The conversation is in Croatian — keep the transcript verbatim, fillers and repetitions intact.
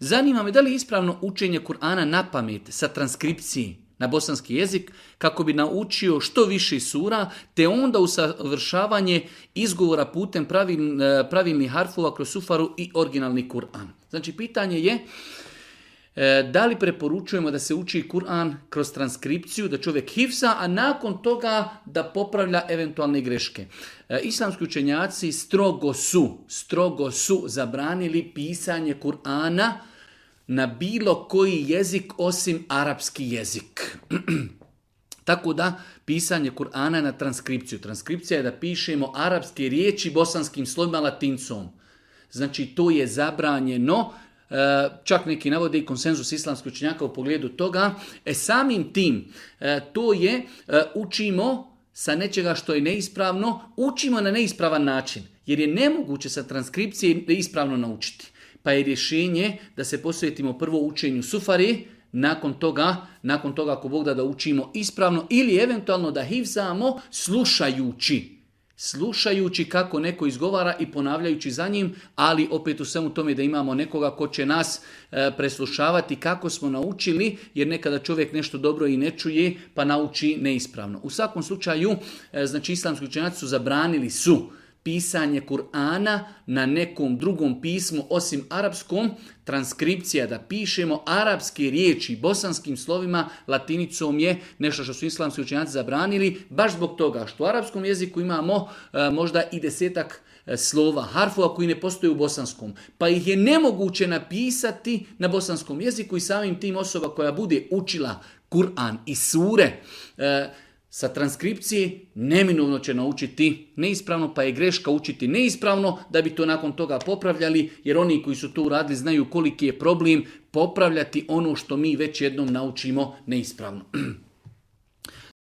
Zanima me da li je ispravno učenje Kur'ana na pamet sa transkripciji na bosanski jezik kako bi naučio što više sura, te onda usavršavanje izgovora putem pravil, pravilnih harfova kroz sufaru i originalni Kur'an. Znači, pitanje je da li preporučujemo da se uči Kur'an kroz transkripciju, da čovjek hifza, a nakon toga da popravlja eventualne greške. Islamski učenjaci strogo su, strogo su zabranili pisanje Kur'ana na bilo koji jezik osim arapski jezik. Tako da, pisanje Kur'ana na transkripciju. Transkripcija je da pišemo arapske riječi bosanskim slovima latincom. Znači, to je zabranjeno. Čak neki navode i konsenzus islamskih učenjaka u pogledu toga. E samim tim, to je, učimo sa nečega što je neispravno, učimo na neispravan način. Jer je nemoguće sa transkripcije ispravno naučiti. Pa je rješenje da se posvetimo prvo učenju sufari, nakon toga, nakon toga ako Bog da da učimo ispravno ili eventualno da hifzamo slušajući. Slušajući kako neko izgovara i ponavljajući za njim, ali opet u svemu tome da imamo nekoga ko će nas e, preslušavati kako smo naučili, jer nekada čovjek nešto dobro i ne čuje pa nauči neispravno. U svakom slučaju, e, znači islamski učenjaci su zabranili su pisanje Kur'ana na nekom drugom pismu osim arapskom, transkripcija da pišemo arapske riječi bosanskim slovima latinicom je nešto što su islamski učenjaci zabranili, baš zbog toga što u arapskom jeziku imamo e, možda i desetak e, slova, harfova koji ne postoje u bosanskom, pa ih je nemoguće napisati na bosanskom jeziku i samim tim osoba koja bude učila Kur'an i sure e, sa transkripcije neminovno će naučiti neispravno, pa je greška učiti neispravno da bi to nakon toga popravljali, jer oni koji su to uradili znaju koliki je problem popravljati ono što mi već jednom naučimo neispravno.